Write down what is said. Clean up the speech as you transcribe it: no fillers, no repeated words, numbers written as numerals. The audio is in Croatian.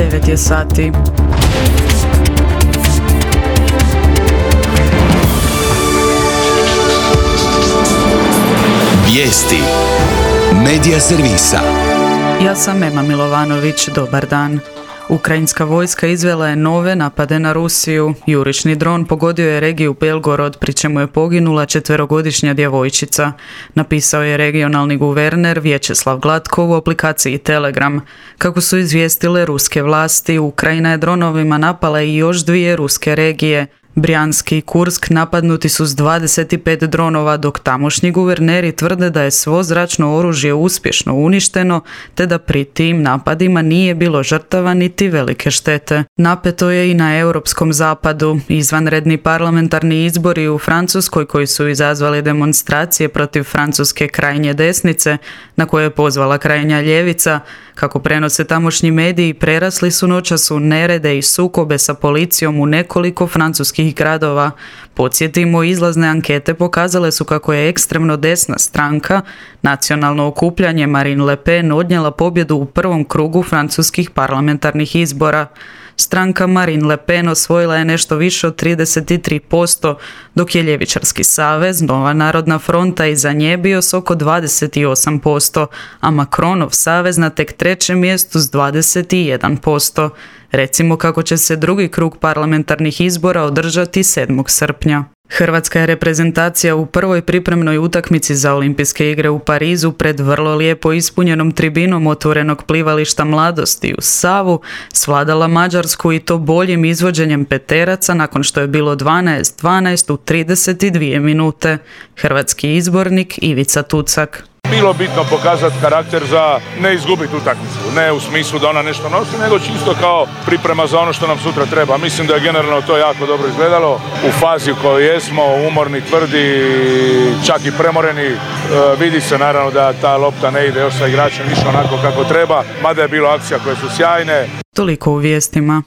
9 je sati. Vijesti Medija servisa. Ja sam Ema Milovanović, dobar dan. Ukrajinska vojska izvela je nove napade na Rusiju. Jurišni dron pogodio je regiju Belgorod, pri čemu je poginula 4-godišnja djevojčica. Napisao je regionalni guverner Vjačeslav Glatko u aplikaciji Telegram. Kako su izvijestile ruske vlasti, Ukrajina je dronovima napala i još 2 ruske regije. Brjanski i Kursk napadnuti su s 25 dronova, dok tamošnji guverneri tvrde da je svo zračno oružje uspješno uništeno, te da pri tim napadima nije bilo žrtava niti velike štete. Napeto je i na europskom zapadu. Izvanredni parlamentarni izbori u Francuskoj, koji su izazvali demonstracije protiv francuske krajnje desnice, na koje je pozvala krajnja ljevica, kako prenose tamošnji mediji, prerasli su noćas u nerede i sukobe sa policijom u nekoliko francuskih gradova. Podsjetimo, izlazne ankete pokazale su kako je ekstremno desna stranka, Nacionalno okupljanje Marine Le Pen, odnijela pobjedu u prvom krugu francuskih parlamentarnih izbora. Stranka Marine Le Pen osvojila je nešto više od 33%, dok je Ljevičarski savez, Nova narodna fronta, iza nje bio s oko 28%, a Macronov savez na tek 3. mjestu s 21%. Recimo kako će se drugi krug parlamentarnih izbora održati 7. srpnja. Hrvatska je reprezentacija u prvoj pripremnoj utakmici za Olimpijske igre u Parizu pred vrlo lijepo ispunjenom tribinom otvorenog plivališta Mladosti u Savu svladala Mađarsku, i to boljim izvođenjem peteraca nakon što je bilo 12-12 u 32 minute. Hrvatski izbornik Ivica Tucak. Bilo bitno pokazati karakter za ne izgubiti utakmicu, ne u smislu da ona nešto nosi, nego čisto kao priprema za ono što nam sutra treba. Mislim da je generalno to jako dobro izgledalo u fazi u kojoj jesmo, umorni, tvrdi, čak i premoreni. Vidi se naravno da ta lopta ne ide još sa igračem više onako kako treba, mada je bilo akcija koje su sjajne. Toliko u vijestima.